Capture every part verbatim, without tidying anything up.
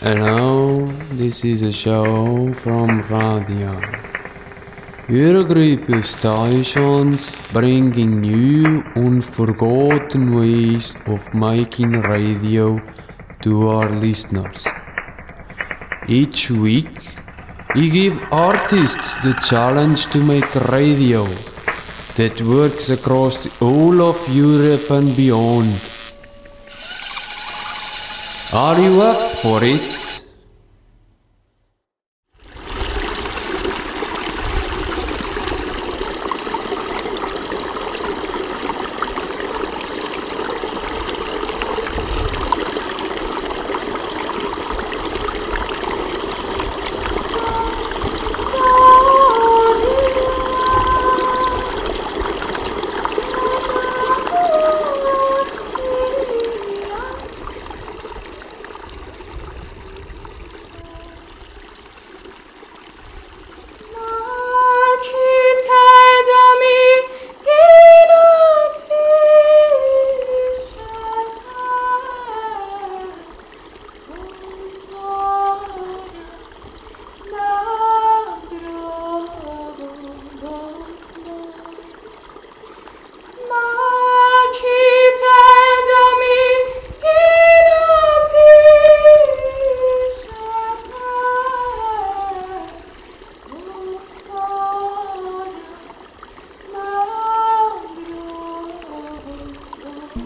Hello, this is a show from radio. We're a group of stations bringing new, unforgotten ways of making radio to our listeners. Each week, we give artists the challenge to make radio that works across the whole of Europe and beyond. Are you up for it?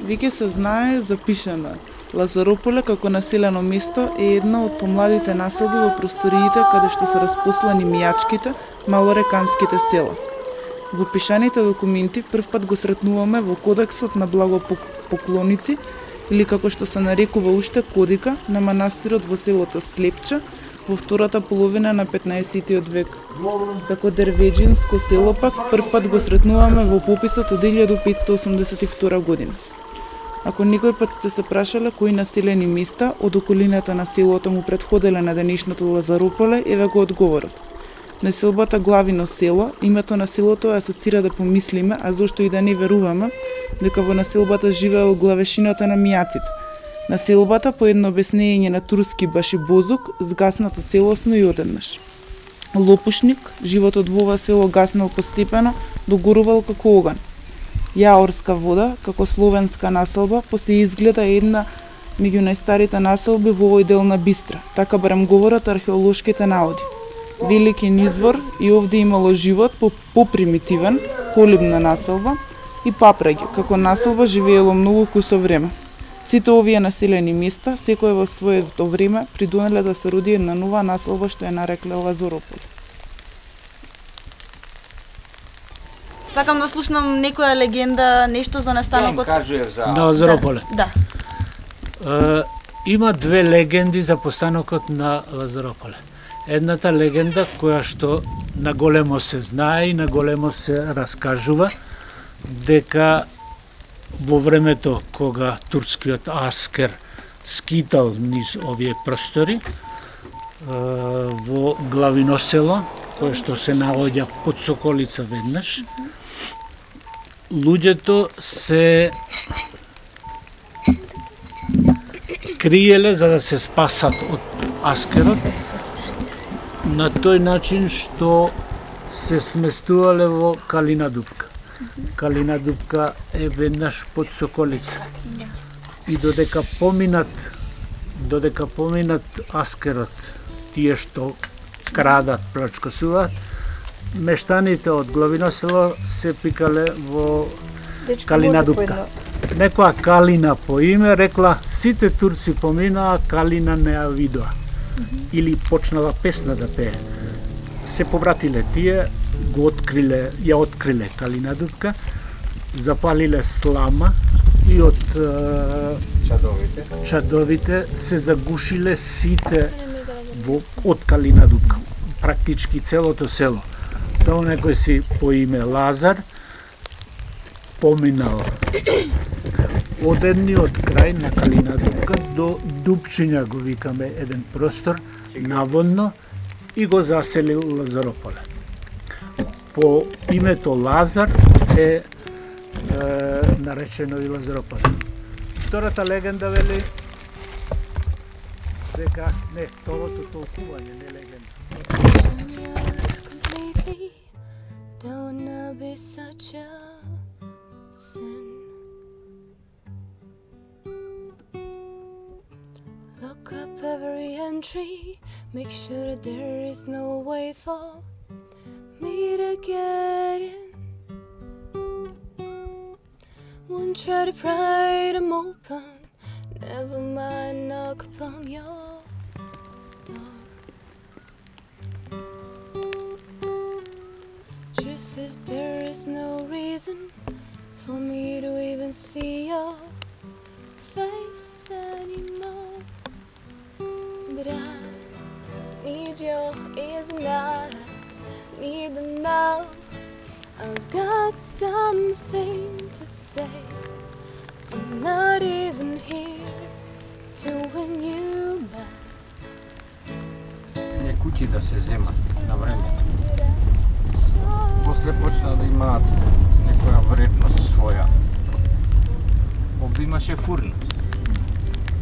Веќе се знае за Пишана. Лазарополе како населено место е една од помладите населби во просториите каде што се распослани мијачките, малореканските села. Во пишаните документи првпат го сретнуваме во Кодексот на благопоклоници, или како што се нарекува уште Кодика, на манастирот во селото Слепча во втората половина на петнаесеттиот век. Како дервеџинско село пак првпат го сретнуваме во пописот од илјада петстотини осумдесет и втора година. Ако некој пат сте се прашале кои населени места од околината на селото му претходеле на денешното Лазарополе, еве го одговорот. Населбата Главино село, името на селото е асоцира да помислиме, а зошто и да не веруваме, дека во населбата живеел главешината на мијаците. Населбата, по едно обяснење на турски Башибозук, згасната целосно и одеднаш. Лопушник, животот во ова село гаснал постепено, догорувал како оган. Јаорска вода, како словенска населба, после изгледа една меѓу најстарите населби во овој дел на Бистра, така барем говорат археолошките наоди. Велики низвор и овде имало живот по попримитивен, колибна населба и папраѓе, како населба живеело многу кусо време. Сите овие населени места, секој во своето време, придонеле да се роди една нова населба што ја нарекле Лазарополе. Сакам да слушнам некоја легенда, нешто за настанокот. Ја кажував за Лазарополе. Да. да. Е, има две легенди за постанокот на Лазарополе. Едната легенда која што на големо се знае и на големо се раскажува, дека во времето кога турскиот аскер скитал низ овие простори, во Главино село, кое што се наоѓа под Соколица веднаш, луѓето се криеле за да се спасат од аскерот на тој начин што се сместувале во Калина дупка. Калина дупка е веднаш под Соколица. И додека поминат додека поминат аскерот, тие што крадат, плачкосуваат, мештаните од Главино село се пикале во Калина дупка. Некоја Калина по име рекла: сите турци поминаа, Калина не ја видоа. Или почнала песна да пее. Се повратиле тие, го откриле, ја откриле Калина дупка, запалиле слама и од чадовите чадовите се загушиле сите во од Калина дупка. Практички целото село. Само некој си по име Лазар поминал од едниот крај на Калина дупка до Дупчиња, го викаме еден простор наводно, и го заселил Лазарополе. По името Лазар е, е наречено и Лазарополе. Втората легенда вели дека не, второто толкување, не легенда. Completely, don't wanna be such a sin. Look up every entry, make sure that there is no way for me to get in. Won't try to pry them open, never mind knock upon your door. Truth is there is no reason for me to even see your face anymore. But I need your ears and I need them now. I've got something to say. I'm not even here to win you back. Не куќи да се земат на време. После почна да имаат некоја вредност своја. Овде имаше фурна.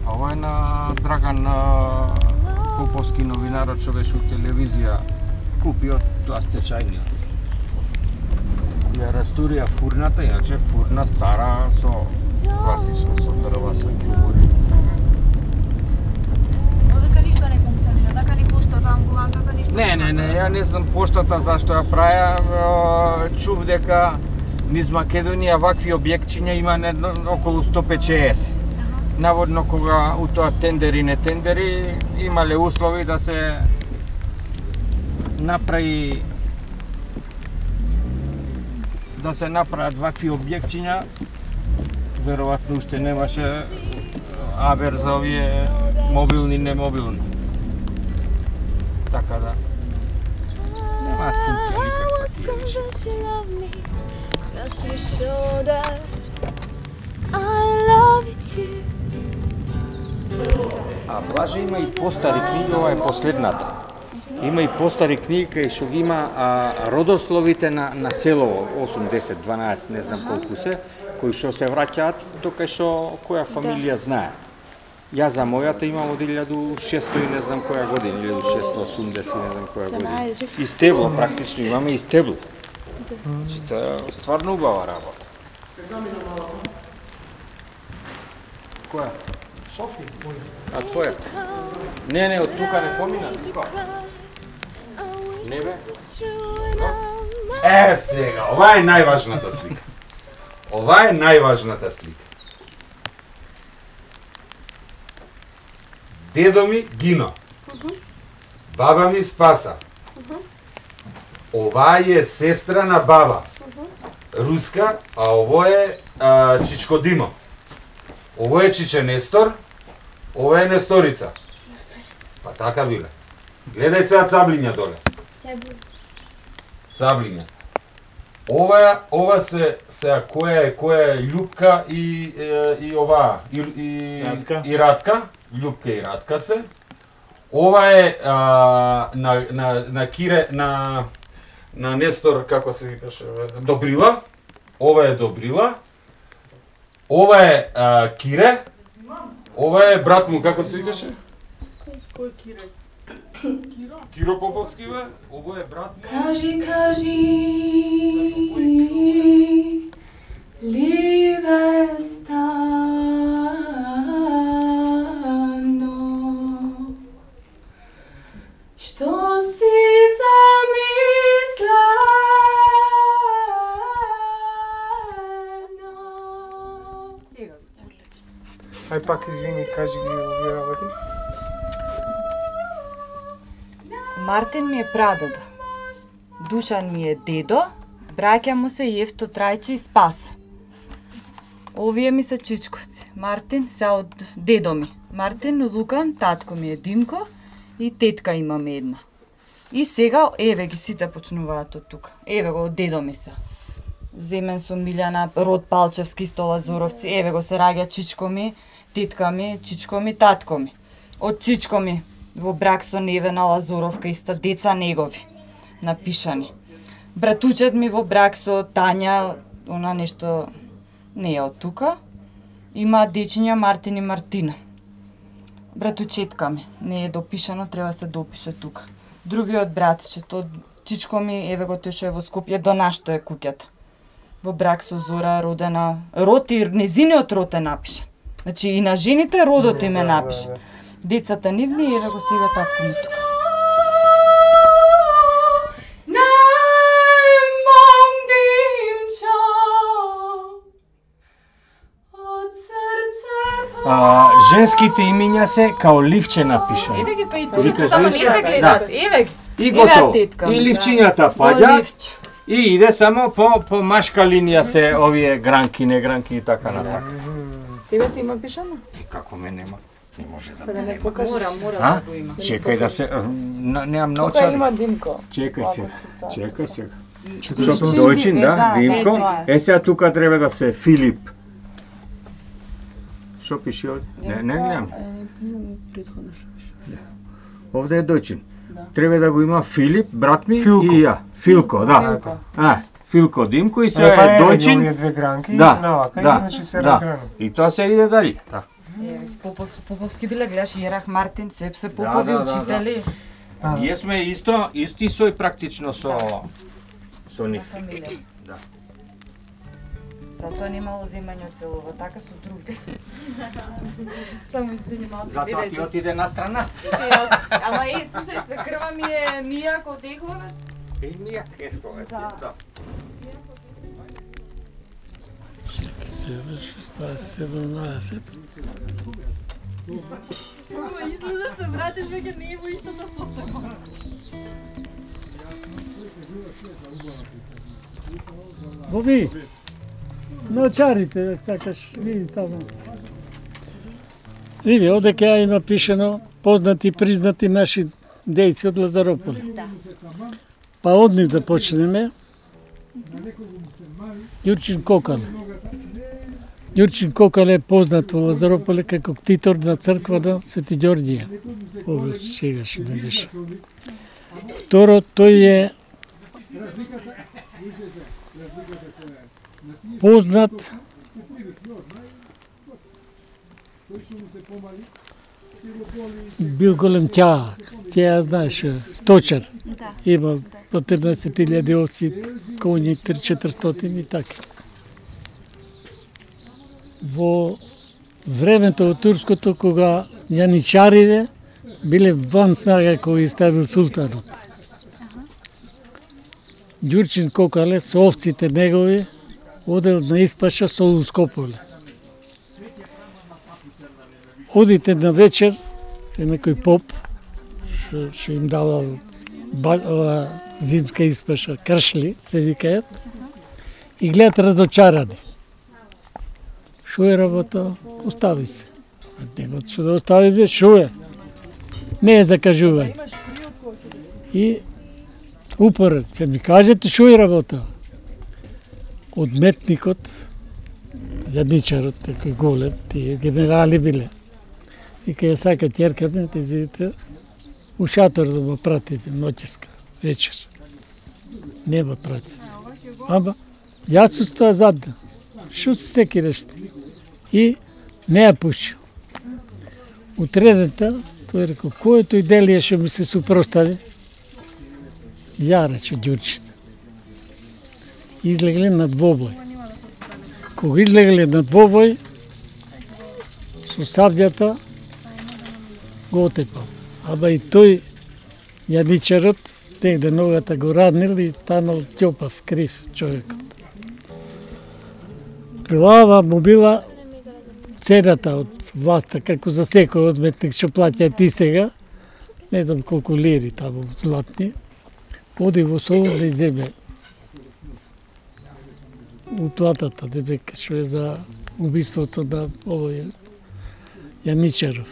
А ова е на Драган Поповски новинарот што беше у телевизија купи од тоа стечајниот. Ја растурија фурната, иначе фурна стара со класично со дрва, со ќубури. Одека ништо не функционира, дека ни поштата, амбулантата, ништо. Не, не, не, ја не знам поштата зашто ја праја, чув дека низ Македонија вакви објектчиња има недно, околу сто петдесет. Наводно кога у тоа тендери не тендери имале услови да се направи да се направат вакви објектчиња, веројатно уште немаше авер за овие мобилни, немобилни. Така да немаат функција никаква. А Блаже има и постари книги, ова е последната. Има и постари книги кај што ги има а, родословите на, на село осумдесет, дванаесет, не знам колку се, кои што се враќаат до кај што која фамилија знае. Јас за мојата имам од илјаду шестоста и не знам која година, илјаду шестоста осумдесет, не знам која година. И стебло, практично имаме и стебло. Значи, тоа е стварно убава работа. Која? Софија, А твојата? Не, не, од тука не помина, тука. Не бе? Е, сега, ова е најважната слика. Ова е најважната слика. Дедо ми гино. Баба ми спаса. Ова е сестра на баба. Руска, а ово е а, Чичко Димо. Ово е Чиче Нестор, ова е Несторица. Па така биле. Гледај сега цаблиња доле. Цаблиња. Ова ова се се која е која е Љупка и е, и ова и и Радка. и Радка, Љупка и Радка се. Ова е а, на на на Кире на на Нестор, како се викаше, Добрила. Ова е Добрила. Ова е а, Кире. Ова е брат му, како се викаше? Кој Кире? Киро? Киро Поповски бе. Ова е брат му. Кажи, кажи, liebe stano, što si zamisleno. Ај пак извини, кажи ги овие работи. Мартин ми е прадедо. Душан ми е дедо, браќа му се Јефто, Трајче и Спас. Овие ми се чичковци. Мартин се од дедо ми. Мартин, Лукан, татко ми е Димко и тетка имаме една. И сега, еве ги сите почнуваат од тука. Еве го од дедо ми се. Земен со Милјана, род Палчевски, исто Лазуровци. Еве го се раѓа чичко ми, тетка ми, чичко ми, татко ми. Од чичко ми во брак со Невена Лазуровка, исто деца негови, напишани. Братучет ми во брак со Тања, она нешто не е од тука. Има дечиња Мартин и Мартина. братучетка ми. Не е допишано, треба се допише тука. Другиот братче, тоа чичко ми, еве го тој што е во Скопје, до нашто е куќата. Во брак со Зора, родена, род и незиниот род е напишан. Значи и на жените родот им е напишан. Децата нивни, еве го сега татко ми тука. А, женските имиња се као ливче напишани. Еве ги па и тука се само не се гледат. Еве ги. И готово. И ливчињата паѓа. И иде само по по машка линија се овие гранки, не гранки и така натака. Тебе ти има пишано? И како ме нема? Не може да Да ме не нема. покажеш. Мора, мора А? да го има. Чекај да се немам Тука научар. има Димко. Чекај се. Чекај се. Четиристотини. Дојчин, да, да, Димко. е, тоа Е сега тука треба да се Филип. Што пише овде? Не, не гледам. Предходно што пише. Овде е дојчин. Да. Треба да го има Филип, брат ми Филко. и ја. Филко, да. Филко. А, Филко Димко и се Е, па е е, дојчин. овие две гранки, Да, навака, да, и значи се да. разграна. И тоа се иде дали. Да. Еве, Попов, Поповски биле, гледаш Јерах Мартин, сеп се Да, Попови да, да, учители. А, Ние сме исто, исти сој практично со со нив. Фамилија сме. Да. Затоа немало земање од селово, така со други. Само извини малку. Затоа ти отиде на страна. Ама е, слушај, свекрва ми е Мија Котеховец. И Мија Кесковец, Да. да. седумнаесет. Излизаш се вратиш веќе не е во истата состојба. Боби, научарите, сакаш, види таму. Види, овде ќе има пишено познати, признати наши дејци од Лазарополе. Да. Па од нив да почнеме. Јурчин Кокале. Јурчин Кокале е познат во Лазарополе како ктитор на црква на Свети Ѓорѓија. Овде сегаш не беше. Второ, тој е познат бил голем ќаак. Ќе знаеш, сточар. Да. Има четирнаесет илјади овци, коњи три четиристотини и така. Во времето од турското, кога јаничариве биле ван снага кој ги ставил султанот. Ѓурчин Кокале со овците негови одел на испаша со Ускополе. Одите на вечер, е некој поп, што, што им дава ба, ова, зимска испаша, кршли, се викаат, и гледат разочарани. Шо е работа? Остави се. Нема што да остави, бе, шо е? Не е закажување. И упоред, ќе ми кажете шо е работа? Одметникот, јадничарот, такој голем, тие генерали биле. И кај ја сака тjerкаме, те видите, у шатор да ме пратите, ноќеска, вечер. Не ме пратите. Ама, јас су стоја задна. Шо се секираш? И не ја пушил. Утредента, тој рекол, кој е тој делија што ми се супростави? Ја рече Ѓурчин. Излегле на двобој. Кога излегле на двобој, со сабљата го отепал. Ама и тој јадничарот, негде ногата го раднил и станал ќопав, крив човекот. Глава му била цената од власта, како за секој одметник што плаќа ти сега, не знам колку лири таму златни, оди во Солун да иземе уплатата, дека што е за убиството на овој Јаничаров.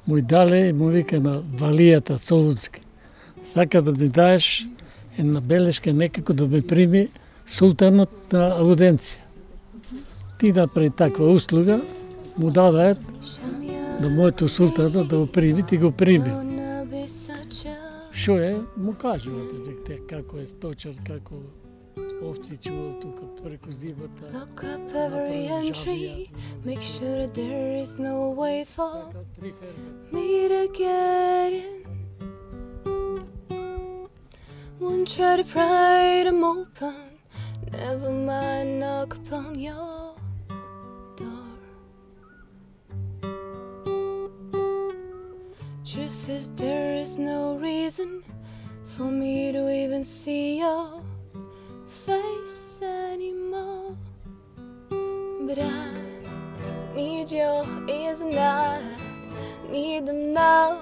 Му дале и му вика на Валијата Солунски. Сака да ми даеш една белешка некако да ме прими султанот на ауденција. Ти направи таква услуга, му дадаат на моето султано да го прими, ти го прими. Шо е, му кажувате дека како е сточар, како овци чувал тука преку зимата. Look up every entry, make sure that there is no way for me to get in. Won't try to pry them open, never mind knock upon your door. Truth is there is no reason for me to even see your face anymore. But I need your ears and I need them now.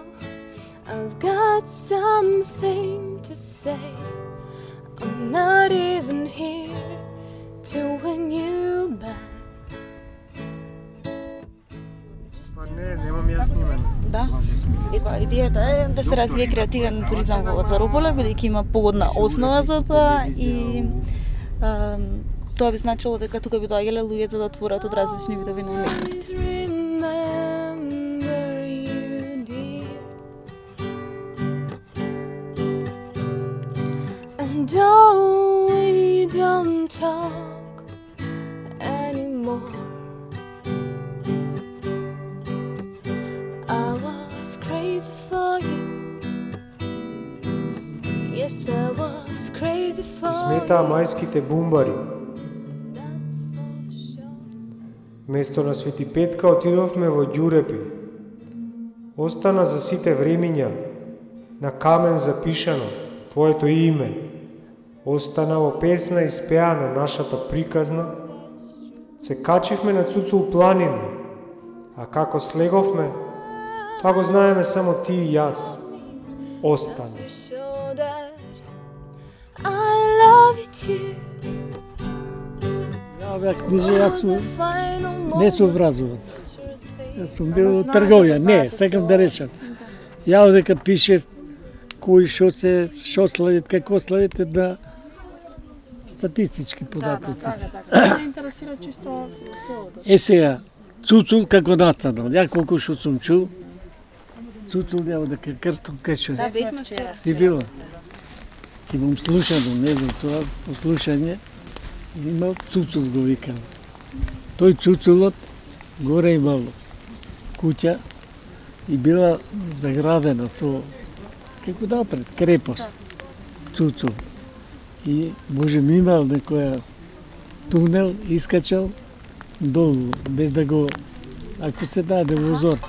I've got something to say. I'm not even here to win you back. Па не, немам јас снимане. Да. Ева, идејата е да се развие креативен туризам во Лазарополе, бидејќи има погодна основа за тоа и а, тоа би значило дека тука би доаѓале луѓе за да отворат од различни видови на уметност. Don't we don't talk anymore. I was crazy for you. Yes, I was crazy for you. Сметаа мајските бумбари. Место на Свети Петка отидовме во Ѓурепи. Остана за сите времиња, на камен запишано твоето име. Остана во песна испеана нашата приказна. Се качивме на Цуцул планина, а како слеговме, тоа го знаеме само ти и јас. Остана. I love you too. Ја бях книжи, јас сум не сум вразуват. Јас сум бил трговија, не, секам да речам. Ја дека пише кој шо се, шо славит, како славите да статистички податоци. Ме интересира чисто селото. Е сега, Цуцул како настанал, ја колку што сум чул, Цуцул ја дека крстом кај Да, бевме вчера. Си била? Имам слушано, не знам тоа, послушање, имал Цуцул го викам. Тој Цуцулот горе имал куќа и била заградена со, како напред, крепост, Цуцул. И можем имал некоја тунел, искачал долу, без да го, ако се даде возор.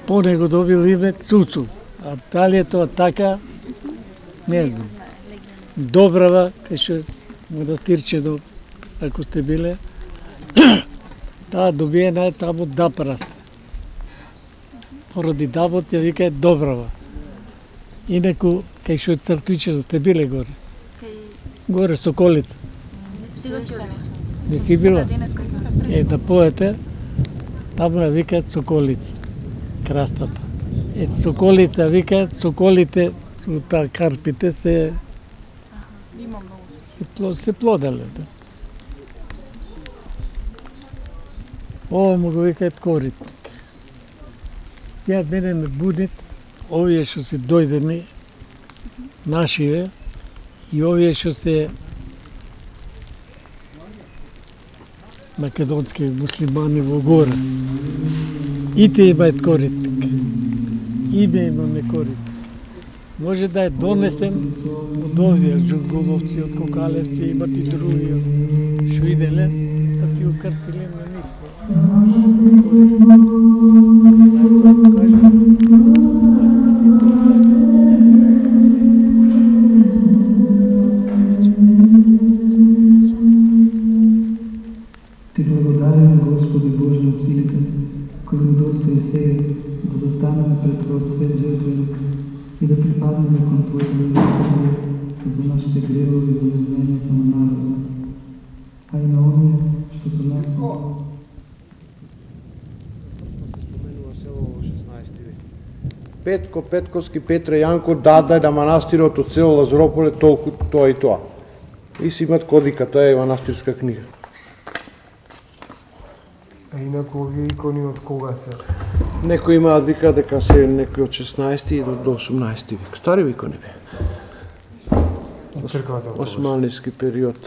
По него добил име Цуцул, а дали е тоа така, не знам. Добрава, кај што е манастирчено, ако сте биле, таа добиена е таму Дап расте. Поради Дапот ја вика е Добрава. Инаку, кај што е црквичено, сте биле горе? Горе Соколица. Не си била? Е, да поете, таму ја викаат Соколица, крастата. Е, Соколица викаат, соколите, таа карпите се се, плод, се плоделе. Да. Ова му го викаат коритник. Сега мене ме будит, овие што се дојдени, нашиве, и овие што се македонски муслимани во гора. Ите имаат коритник. И да имаме коритник. Може да е донесен од овие джунголовци, од Кокалевци, имат и други што иделе, па си го крстиле на ниско. Ти благодарим, Господи Боже на силите, кој му достои сега да застанеме пред Твојот свет жртвеник и да припаднеме кон Твоето милосрдие за нашите гревови, за незнањето на народа, а и на оние што со нас се. Петко, Петковски, Петре, Јанко дадај да манастирот од село Лазарополе толку тоа и тоа. И си имат кодика, тоа е манастирска книга. А инаку овие икони од кога се? Некои имаат вика дека се некои од шеснаести до осумнаести век. Стари икони бе. црквата. Османлиски период.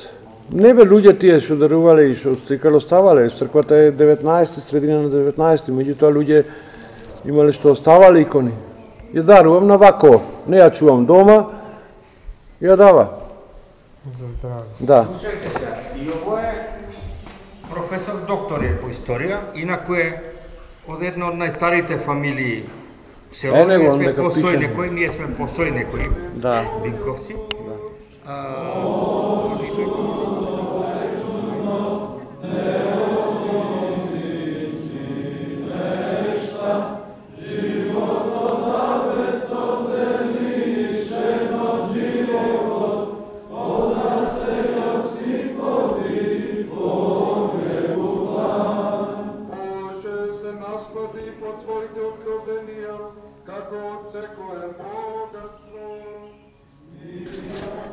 Не бе луѓе тие што дарувале и што стикало оставале. Црквата е деветнаесети, средина на деветнаесети, меѓутоа луѓе имале што оставале икони. Ја дарувам на вако, не ја чувам дома, ја дава. За здраве. Да. Слушајте се, и ово е професор доктор е по историја, инаку е од една од најстарите фамилии. Се Е, него, ние сме нека посој пише. некој, ние сме посој некој. Да. Динковци. Да. А,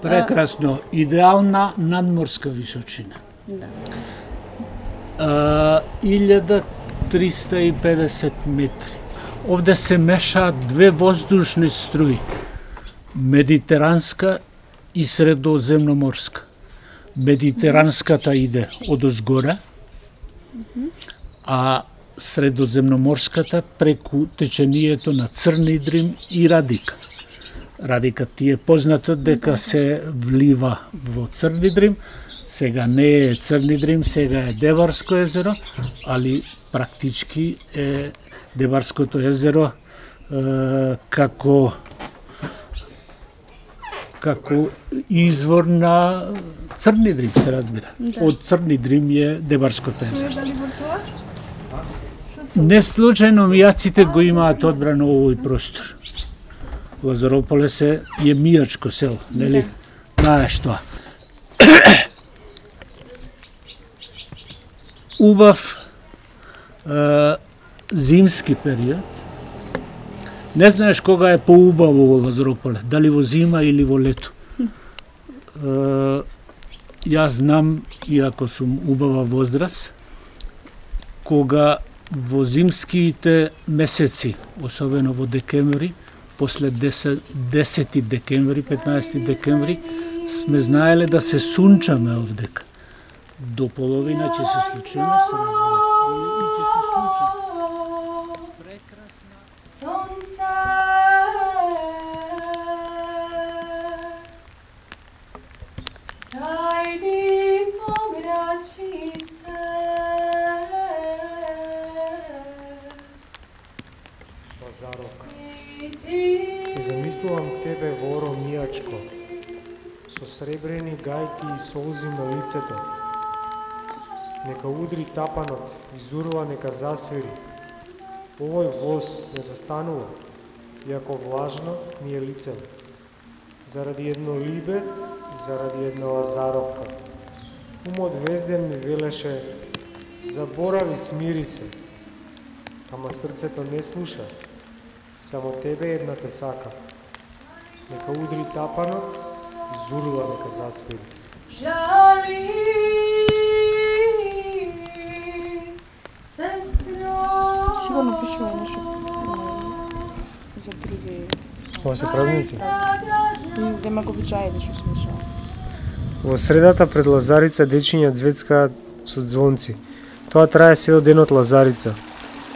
Прекрасно, идеална надморска височина. Да. А, илјада триста и педесет метри. Овде се мешаат две воздушни струи, медитеранска и средоземноморска. Медитеранската иде од озгоре, а средоземноморската преку течението на Црни Дрим и Радика. Радика ти е познато дека се влива во Црни Дрим, сега не е Црни Дрим, сега е Деварско езеро, али практички е Деварското езеро е, како како извор на Црни Дрим, се разбира. Да. Од Црни Дрим е Деварското езеро. Дали во тоа? Не случајно мијаците го имаат одбрано овој простор. Лазарополес е мијачко село, нели? Знаеш тоа. Убав е, зимски период. Не знаеш кога е поубаво во Лазарополе, дали во зима или во лето. Е, јас знам, иако сум убава возраст, кога во зимските месеци, особено во декември, после десети декември, петнаесети декември, сме знаеле да се сунчаме овдека. До половина ќе се случиме, се разбира. И ќе се сунчаме. Прекрасна. Сонце, зајди помрачи се. Лазарок, те замислувам тебе воро мијачко, со сребрени гајки и солзи на лицето. Нека удри тапанот, изурва нека засвири. Овој воз не застанува, иако влажно ми е лицето. Заради едно либе, заради една Лазаровка. Умот везден ми велеше, заборави, смири се. Ама срцето не слуша, само тебе една те сака. Нека удри тапанот, изурла нека засвири. Жали, сестро. Сигурно пишува нешто за други. Ова се празници. Дема го обичаи да што се дешава. Во средата пред Лазарица дечиња цвецкаат со ѕвонци. Тоа трае сел денот Лазарица.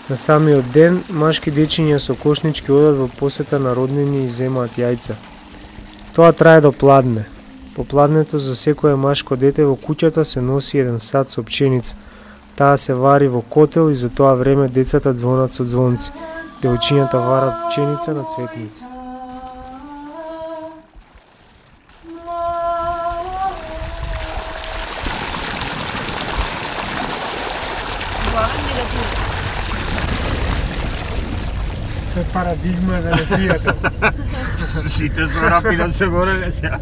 На самиот ден, машки дечиња со кошнички одат во посета на роднини и земаат јајца. Тоа трае до пладне. По пладнето за секое машко дете во куќата се носи еден сад со пченица. Таа се вари во котел и за тоа време децата ѕвонат со ѕвонци. Девојчињата варат пченица на цветници. Тоа е парадигма за непријател. Сите со рапи да се бореле сега.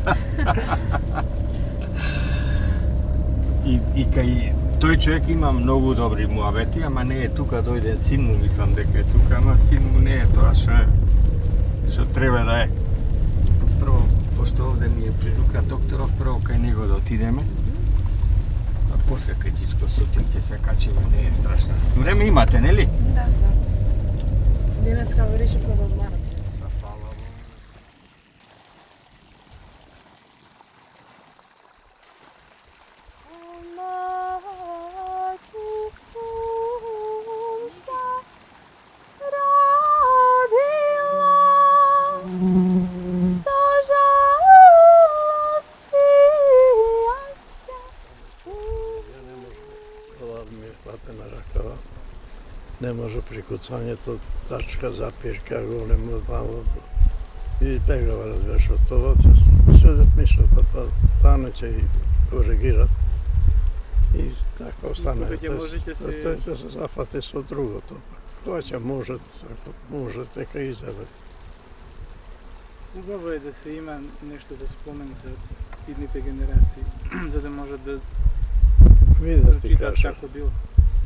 И, и кај тој човек има многу добри муабети, ама не е тука, дојде син му, мислам дека е тука, ама син му не е тоа што е, што треба да е. Прво, пошто овде ни е прилука докторов, прво кај него да отидеме, а после кај Чичко сутин ќе се качиме, не е страшно. Време имате, нели? Да, да. Денеска го решивме да одмараме. прикуцањето, тачка, запирка, големо, малото. И бегава, разбираш, од това, се мислата, па тане ќе и коригират. И така остане. Тој ќе се зафати со другото. Тоа ќе можат, ако можат, дека изедат. Убаво е да се има нешто за спомен за идните генерации, за да можат да видат ти кажа. Како било.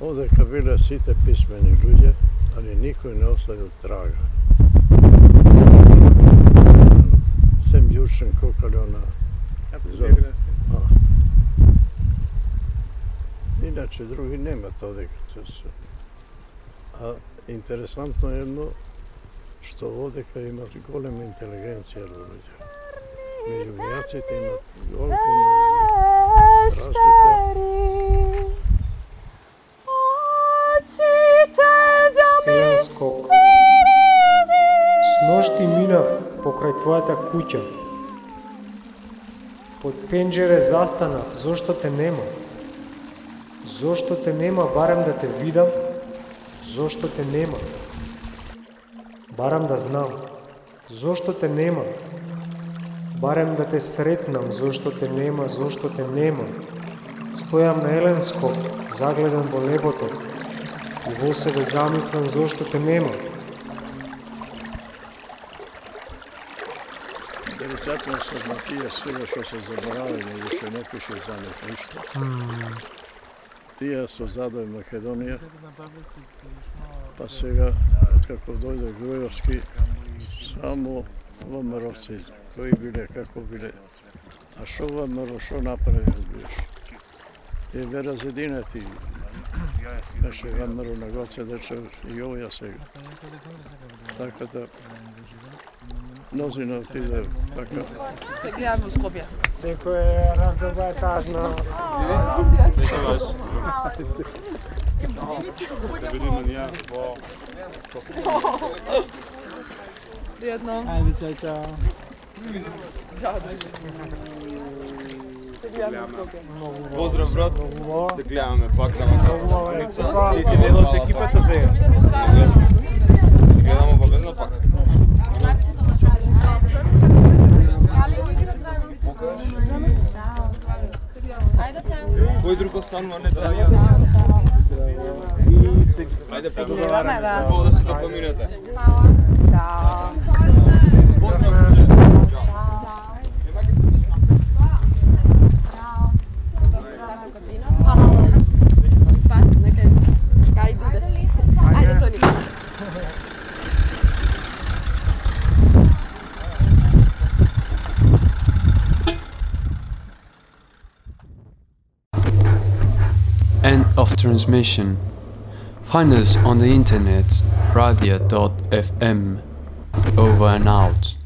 Одека биле сите писмени луѓе, али никој не оставил трага. Сем Јурчен Кокалјо на автобиографија. Иначе други нема тоа дека се. А интересантно е едно што одека имат голема интелигенција луѓе. Меѓу мијаците имат голема разлика. Елен Скок. Сношти минав покрај твојата куќа. Под пенџере застанав, зошто те нема? Зошто те нема, барем да те видам? Зошто те нема? Барем да знам. Зошто те нема? Барем да те сретнам, зошто те нема, зошто те нема. Стојам на Елен Скок, загледан во небото, и во себе замислам зошто те нема. Деликатно се на тие сега што се заборавиле и што не пише за них ништо. Тие создадоа Македонија, па сега, откако дојде Грујовски, само ВМРО-ци, кои биле, како биле. А шо ВМРО, шо направи, разбираш? И бе разединати. Беше ВМРО на Гоце Дечев и овоја сега. Така да, мнозина отиде така. Се гледаме у Скопје. Секој раздоба е тажна. Секојаш. Се видиме ние во Пријатно. Ајде, чао, чао. Чао, друже. Се гледаме у Скопје. Поздрав, брат. Се гледаме пак на Маканица. Ти си дел од екипата сега. Се гледаме обавезно пак. Кој друг останува не да ја? Ајде поздраваме, да. Хубаво да се допоминете. Чао. End of transmission. Find us on the internet, radia dot f m. Over and out.